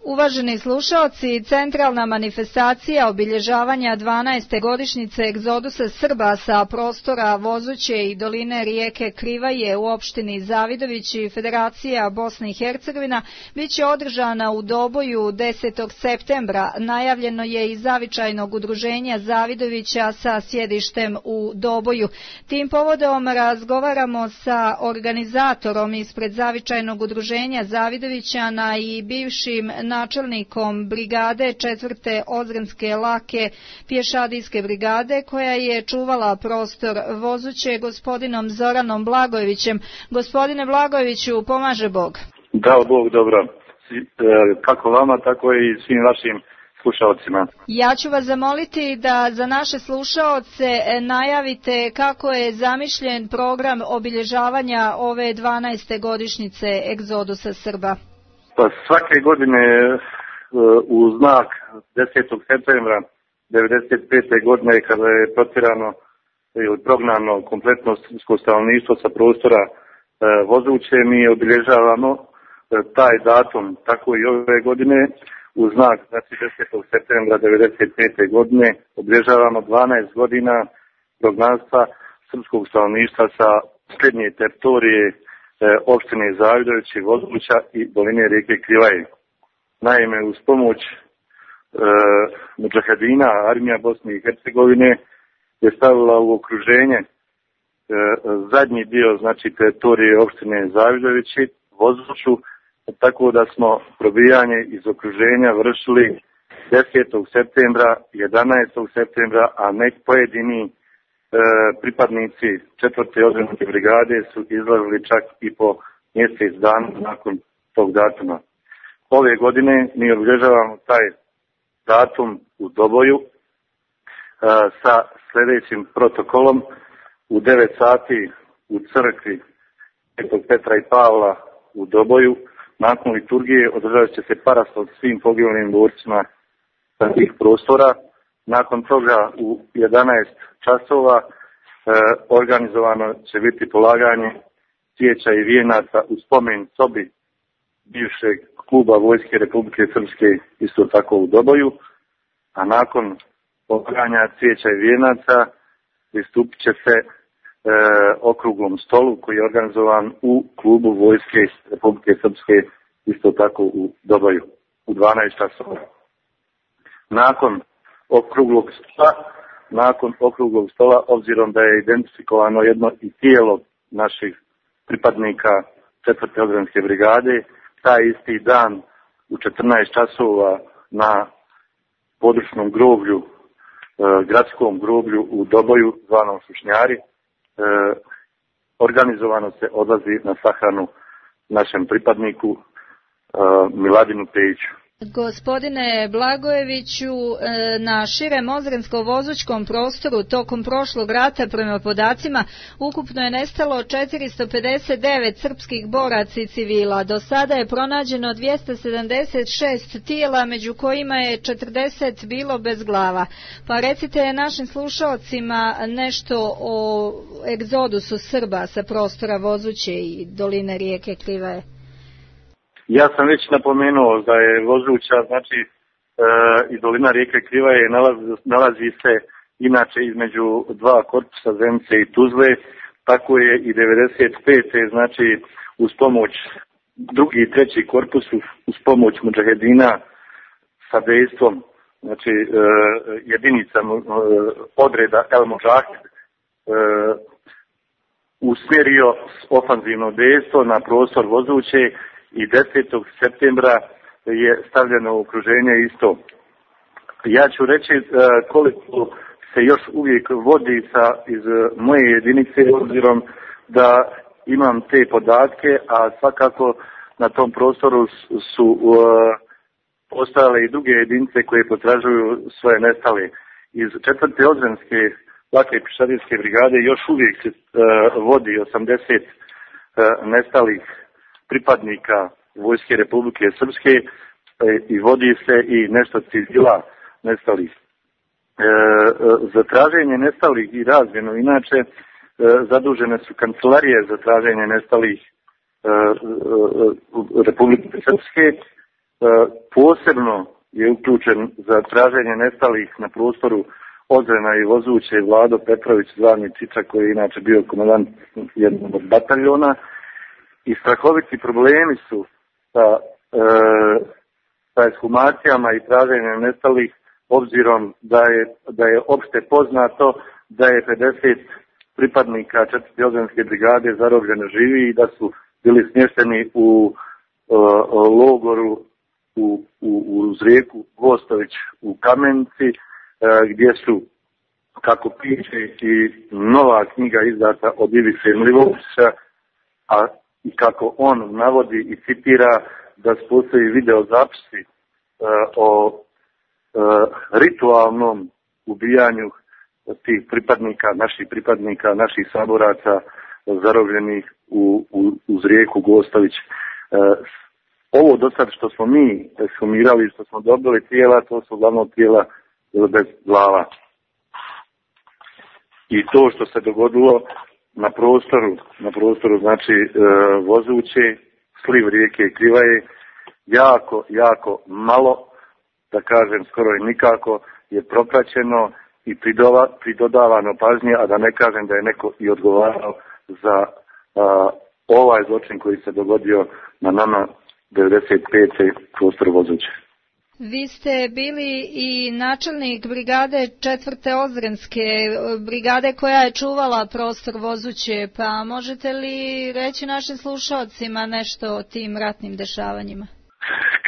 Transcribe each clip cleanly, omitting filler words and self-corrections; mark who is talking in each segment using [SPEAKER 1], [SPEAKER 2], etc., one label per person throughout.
[SPEAKER 1] Uvaženi slušaoci, centralna manifestacija obilježavanja 12. godišnjice egzodusa Srba sa prostora Vozuće i doline rijeke Krivaje u opštini Zavidović i Federacija Bosne i Hercegovina biće održana u Doboju 10. septembra. Najavljeno je iz zavičajnog udruženja Zavidovića sa sjedištem u Doboju. Tim povodom razgovaramo sa organizatorom ispred zavičajnog udruženja Zavidovićana i bivšim načelnikom brigade 4. Ozrenske lake pješadijske brigade koja je čuvala prostor Vozuće, gospodinom Zoranom Blagojevićem. Gospodine Blagojeviću, pomaže Bog.
[SPEAKER 2] Dao Bog dobro. Kako vama, tako i svim vašim slušalcima.
[SPEAKER 1] Ja ću vas zamoliti da za naše slušaoce najavite kako je zamišljen program obilježavanja ove 12. godišnjice egzodusa Srba.
[SPEAKER 2] Pa svake godine u znak 10. septembra 1995. godine kada je protjerano ili prognano kompletno srpsko stanovništvo sa prostora Vozuće, mi obilježavamo taj datum, tako i ove godine u znak, znači 10. septembra 1995. godine obilježavamo 12 godina prognanstva srpskog stanovništva sa srednje teritorije opštine Zavidović i Vozuća i doline rijeke Krivaje. Naime, uz pomoć mudžahedina, armija Bosne i Hercegovine je stavila u okruženje zadnji dio, znači teritorije opštine Zavidovići, Vozuću, tako da smo probijanje iz okruženja vršili 10. septembra, 11. septembra, a nek pojedini pripadnici 4. ozrenske brigade su izlazili čak i po mjesec dana nakon tog datuma. Ove godine mi obilježavamo taj datum u Doboju sa sljedećim protokolom. U 9 sati u crkvi Svetog Petra i Pavla u Doboju nakon liturgije održat će se paraslav svim poginulim borcima sa tih prostora. Nakon toga u 11 časova organizovano će biti polaganje cvijeća i vijenaca u spomen sobi bivšeg kluba Vojske Republike Srpske, isto tako u Doboju, a nakon polaganja cvijeća i vijenaca pristupit će se okruglom stolu koji je organizovan u klubu Vojske Republike Srpske, isto tako u Doboju, u 12 časova. Nakon okruglog stola, obzirom da je identifikovano jedno i tijelo naših pripadnika 4. ozrenske brigade, taj isti dan u 14 časova na područnom groblju, gradskom groblju u Doboju, zvanom Sušnjari, organizovano se odlazi na sahranu našem pripadniku Miladinu Pejiću.
[SPEAKER 1] Gospodine Blagojeviću, na širem ozrensko-vozućkom prostoru tokom prošlog rata prema podacima ukupno je nestalo 459 srpskih boraca i civila. Do sada je pronađeno 276 tijela, među kojima je 40 bilo bez glava. Pa recite našim slušalcima nešto o egzodusu Srba sa prostora Vozuće i doline rijeke Krivaje.
[SPEAKER 2] Ja sam već napomenuo da je Vozuća, znači i dolina rijeke Krivaje nalazi se inače između dva korpusa Zenice i Tuzle, tako je i 95. znači uz pomoć drugi i treći korpus, uz pomoć mudžahedina sa dejstvom, znači jedinica odreda El Mudžahid usmjerio ofanzivno dejstvo na prostor Vozuće i 10. septembra je stavljeno u okruženje isto. Ja ću reći koliko se još uvijek vodi iz moje jedinice, obzirom da imam te podatke, a svakako na tom prostoru su postojale i druge jedinice koje potražuju svoje nestale. Iz 4. ozrenske lake pješadijske brigade još uvijek se vodi 80 nestalih pripadnika Vojske Republike Srpske i vodi se i nešto civila nestalih. Za traženje nestalih i razmjenu inače zadužene su kancelarije za traženje nestalih Republike Srpske posebno je uključen za traženje nestalih na prostoru Ozrena i Vozuće Vlado Petrović, zvani Čiča, koji je inače bio komandant jednog od bataljona. I strahoviti problemi su sa ekshumacijama i traženjem nestalih, obzirom da je opšte poznato da je 50 pripadnika 4. Ozrenske brigade zarobljeno živi i da su bili smješteni u logoru uz rijeku Gostović u Kamenici, gdje su, kako piše i nova knjiga izdata od Ivice Mlivovića, a i kako on navodi i citira da postoji video zapisi o ritualnom ubijanju tih pripadnika, naših saboraca zarobljenih uz rijeku Gostović. Ovo do sad što smo mi ekshumirali, što smo dobili tijela, to su uglavnom tijela bez glava. I to što se dogodilo na prostoru znači Vozuće, sliv rijeke Krivaje, jako malo, da kažem skoro i nikako, je propraćeno i pridodavano pažnje, a da ne kažem da je neko i odgovarao za ovaj zločin koji se dogodio na nama 95. prostor Vozuće.
[SPEAKER 1] Vi ste bili i načelnik brigade 4. Ozrenske brigade koja je čuvala prostor Vozuće, pa možete li reći našim slušalcima nešto o tim ratnim dešavanjima?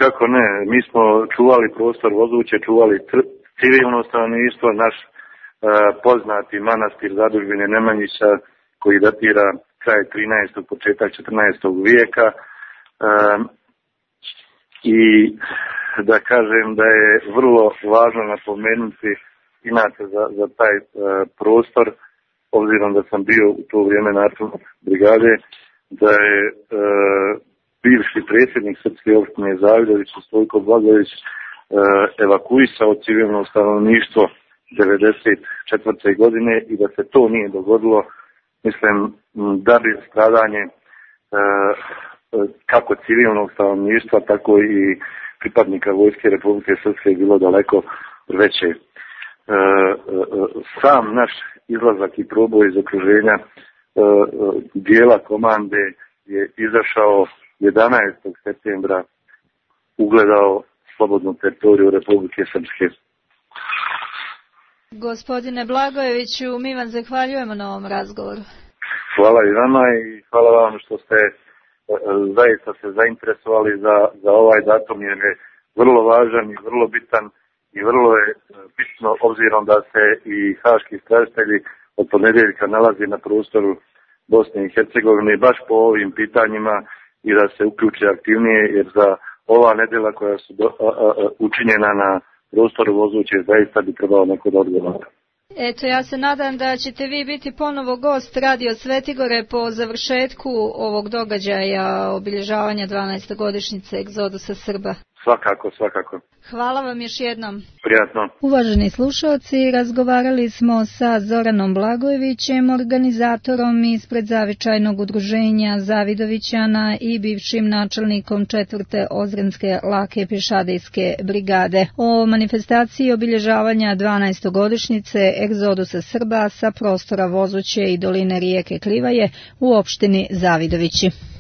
[SPEAKER 2] Kako ne, mi smo čuvali prostor Vozuće, čuvali civilno stanovništvo, naš poznati manastir Zadužbine Nemanjića koji datira kraj 13. početak 14. vijeka i da kažem da je vrlo važno napomenuti inače za taj prostor, obzirom da sam bio u to vrijeme načelnik brigade, da je bivši predsjednik Srpske opštine Zavidović, Stojko Blagojević, evakuisao civilno stanovništvo 1994. godine i da se to nije dogodilo, mislim da bi stradanje kako civilnog stanovništva, tako i pripadnika Vojske Republike Srpske bilo daleko veće. Sam naš izlazak i proboj iz okruženja dijela komande je izašao 11. septembra, ugledao slobodnu teritoriju Republike Srpske.
[SPEAKER 1] Gospodine Blagojeviću, mi vam zahvaljujemo na ovom razgovoru.
[SPEAKER 2] Hvala i vama i hvala vam što ste zaista se zainteresovali za ovaj datum, jer je vrlo važan i vrlo bitan i vrlo je bitno, obzirom da se i haški istražitelji od ponedjeljka nalazi na prostoru Bosne i Hercegovine baš po ovim pitanjima i da se uključi aktivnije, jer za ova nedjela koja su učinjena na prostoru Vozuće zaista bi trebalo neko da odgovara.
[SPEAKER 1] Eto, ja se nadam da ćete vi biti ponovo gost Radio Svetigore po završetku ovog događaja obilježavanja 12. godišnjice egzodusa Srba.
[SPEAKER 2] Svakako.
[SPEAKER 1] Hvala vam još jednom.
[SPEAKER 2] Prijatno.
[SPEAKER 1] Uvaženi slušalci, razgovarali smo sa Zoranom Blagojevićem, organizatorom ispred zavičajnog udruženja Zavidovićana i bivšim načelnikom 4. Ozrenske lake pješadijske brigade o manifestaciji obilježavanja 12. godišnjice egzodusa Srba sa prostora Vozuće i doline rijeke Krivaje u opštini Zavidovići.